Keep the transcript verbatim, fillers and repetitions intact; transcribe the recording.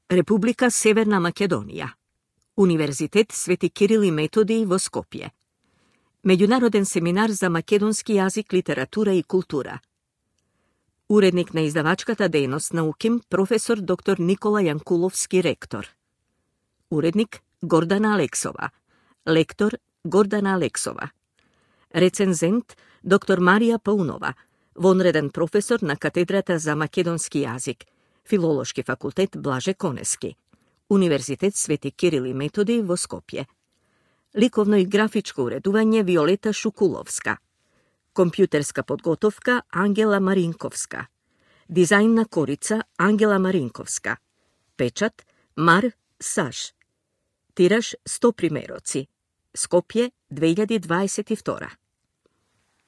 Република Северна Македонија. Универзитет Свети Кирил и Методиј во Скопје. Меѓународен семинар за македонски јазик, литература и култура. Уредник на издавачката дејност на УКИМ, професор доктор Никола Јанкуловски, ректор. Уредник Гордана Алексова. Лектор Гордана Алексова. Рецензент доктор Марија Паунова, вонреден професор на катедрата за македонски јазик, Филолошки факултет Блаже Конески, Универзитет Свети Кирил и Методиј во Скопје. Ликовно и графичко уредување Виолета Шукуловска. Компјутерска подготовка Ангела Маринковска. Дизајн на корица Ангела Маринковска. Печат Мар Саш. Тираж сто примероци. Скопје две илјади дваесет и втора.